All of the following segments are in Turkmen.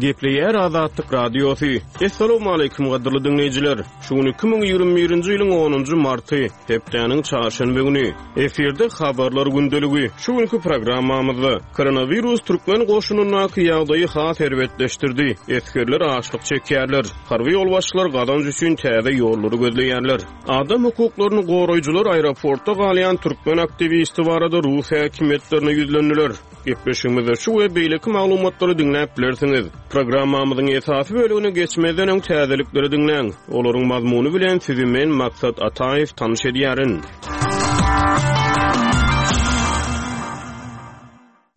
Gepleýär Azatlyk Radiosy. Essalawmaleýkim gadyrly diňleýjiler! Şu gün 2021-nji ýylyň onunjy marty, hepdäniň çarşenbe güni. Efirde Habarlar gündeligi. Şu günki programmamyzda, Koronawirus türkmen goşunyndaky ýagdaýy has erbetleşdirdi, esgerler açlyk çekýärler, harby ýolbaşçylar gazanç üçin täze ýollary gözleýärler. Adam hukuklaryny goraýjylar aeroportda galýan türkmen aktiwisti barada rus häkimiýetlerine ýüzlendiler. Gepleşigimizde şu we beýleki maglumatlary diňläp bilersiňiz. Programmamyzyň esasy bölegine geçmezden öň täzelikleri diňläň. Olaryň mazmuny bilen sizi men Maksat Ataýew tanyş edýärin.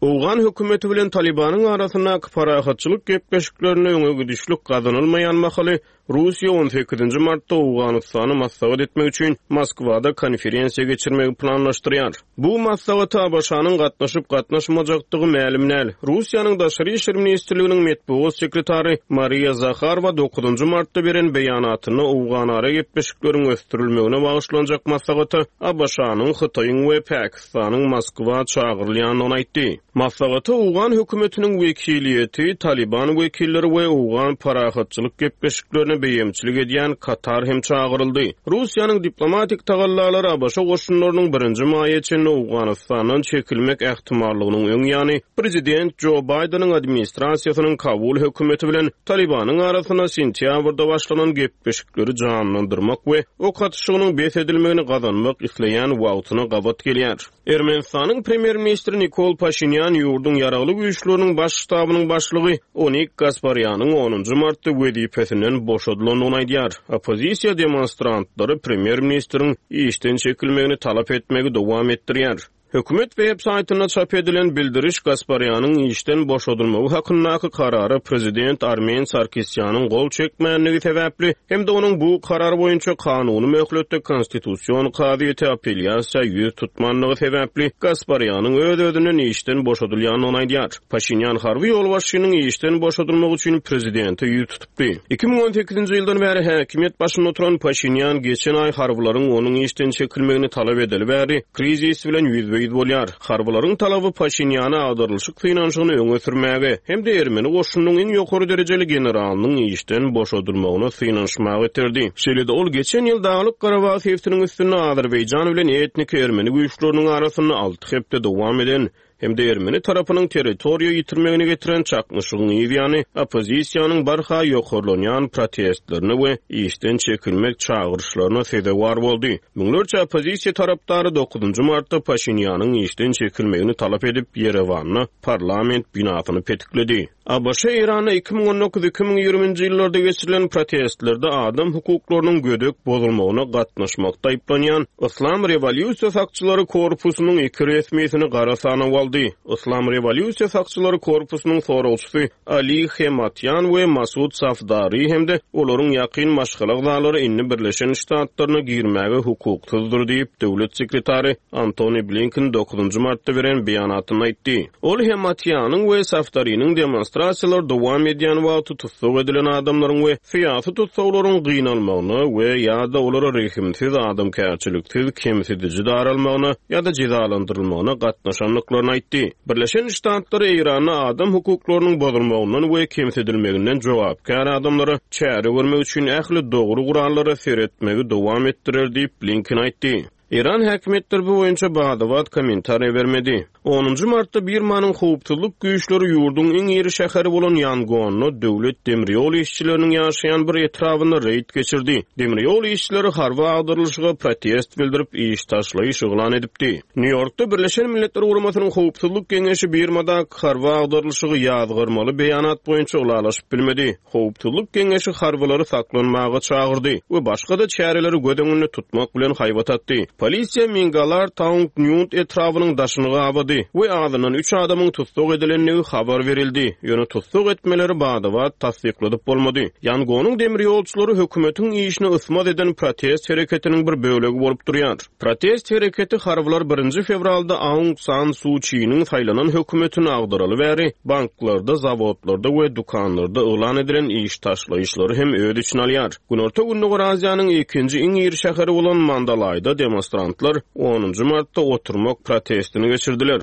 Owgan hökümeti bilen Talybanyň arasyndaky parahatçylyk gepleşiklerinde öňe gidişlik gazanylmaýan mahaly, Russiýa on sekizinji martda Owganystany maslahat etmek üçin Moskwada konferensiýa geçirmegi planlaşdyrýar. Bu maslahata ABŞ-nyň gatnaşyp-gatnaşmajakdygy mälim däl. Russiýanyň Daşary işler ministrliginiň metbugat sekretary Mariýa Zaharowa dokuzynjy martda beren beýanatynda owganara gepleşikleriň ösdürilmegine bagyşlanjak maslahata ABŞ-nyň, Hytaýyň we Pakistanyň Moskwa çagyrylýandygyny aýtdy. Maslahata owgan hökümetiniň wekiliýeti, Talyban wekilleri we owgan parahatçylyk gepleşiklerine beýemçilik edýän Katar hem çagyryldy. Russiýanyň diplomatik tagallalary ABŞ goşunlarynyň birinji maýa çenli Owganystandan çekilmek ähtimallygynyň öň ýany, prezident Jo Baýdeniň administrasiýasynyň Kabul hökümeti bilen Talybanyň arasynda sentýabrda başlanan gepleşikleri janlandyrmak we ok atyşygynyň bes edilmegini gazanmak isleýän wagtyna gabat gelýär. Ermenistanyň premýer-ministri Nikol Paşinýan ýurduň Ýaragly Güýçleriniň Baş ştabynyň başlygy Onik Gasparýanyň onunjy martda wezipesinden boşadylandygyny aýdýar. Oppozisiýa demonstrantlary premýer-ministriň işden çekilmegini talap etmegi dowam etdirýär. Hökümet web saýtynda çap edilen bildiriş Gasparýanyň işden boşadylmagy hakyndaky karara prezident Armen Sarkisýanyň gol çekmänligi sebäpli hem-de onuň bu karar boýunça kanuny möhletde Konstitusion kazyýete apellýasiýa ýüz tutmanlygy sebäpli Gasparýanyň öz-özünden işden boşadylýandygyny aýdýar. Paşinýan harby ýolbaşçynyň işden boşadylmagy üçin prezidente ýüz tutupdy. 2018-nji ýyldan bäri häkimiýet başynda oturan Paşinýan geçen aý harbylaryň onuň işden çekilmegini talap edeli bäri krizis bilen ýüzbe-ýüz bolýar. Harbylaryň talaby Paşinýana agdarylyşyk synanyşygyny öňe sürmäge hem-de ermeni goşunynyň iň ýokary derejeli generalynyň işden boşadylmagyna synanyşmaga iterdi. Şeýle-de ol geçen ýyl Daglyk-Garabag sebitiniň üstünde Azerbaýjan bilen etniki ermeni güýçleriniň arasynda alty hepde dowam eden hem-de ermeni tarapynyň territoriýa ýitirmegine getiren çaknyşygyň yz ýany oppozisiýanyň barha ýokarlanýan protestlerine we işden çekilmek çagyryşlaryna sezewar boldy. Müňlerçe oppozisiýa tarapdary dokuzynjy martda Paşinýanyň işden çekilmegini talap edip, Ýerewanda parlament binasyny petikledi. ABŞ Eýranda 2019, 2020-nji ýyllarda geçirilen protestlerde adam hukuklarynyň gödek bozulmagyna gatnaşmakda aýyplanýan Yslam rewolýusiýa sakçylary korpusynyň iki resmisini gara sanawa aldy. Yslam rewolýusiýa sakçylary korpusynyň soragçysy Ali Hematýan we Masud Safdari hem-de olaryň ýakyn maşgala agzalary indi Birleşen Ştatlaryna girmäge hukuksyzdyr diýip, döwlet sekretary Antony Blinken dokuzynjy martda beren beýanatynda aýtdy. Ol Hematýanyň we Safdariniň demonstrasiýalar dowam edýän wagty tussag edilen adamlaryň we syýasy tussaglaryň gynalmagyna we ýa-da olara rehimsiz, adamkärçiliksiz, kemsidiji daralmagyna ýa-da jezalandyrylmagyna gatnaşandyklaryny aýtdy. Birleşen Ştatlar Eýranda adam hukuklarynyň bozulmagyndan we kemsidilmeginden jogapkär adamlara çäre görmek üçin ähli dogry gurallara seretmegi dowam etdirer diýip, Blinken aýtdy. Eýran häkimiýetleri bu boýunça bada-bat kommentariýa bermedi. Onunjy martda Birmanyň howpsuzlyk güýçleri ýurduň iň iri şäheri bolan Ýangonda döwlet demirýol işçileriniň ýaşaýan bir etrabynda reýd geçirdi. Demirýol işçileri harby agdarylyşyga protest bildirip, iş taşlaýyş yglan edipdi. Nýu-Ýorkda Birleşen Milletler Guramasynyň Howpsuzlyk Geňeşi Birmadaky harby agdarylyşygy ýazgarmaly beýanat boýunça ylalaşyp bilmedi. Howpsuzlyk Geňeşi harbylary saklanmaga çagyrdy we başga-da çäreleri göz öňünde tutmak bilen haýbat atdy. Polisiýa Mingalar Taung Nyunt etrabynyň daşyny gabady we azyndan üç adamyň tussag edilendigi habar berildi, ýöne tussag etmeleri bada-bat tassykladyp bolmady. Ýangonyň demirýolçulary hökümetiň işine ysmaz eden protest hereketiniň bir bölegi bolup durýar. Protest hereketi harbylar birinji fewralda Aung San Su Çiniň saýlanan hökümetini agdaraly bäri banklarda, zawodlarda we dükanlarda yglan edilen iş taşlaýyşlary hem öz içine alýar. Günorta-Gündogar Aziýanyň ikinji iň iri şäheri bolan Mandalaýda demonstrantlar onunjy martda oturmak protestini geçirdiler.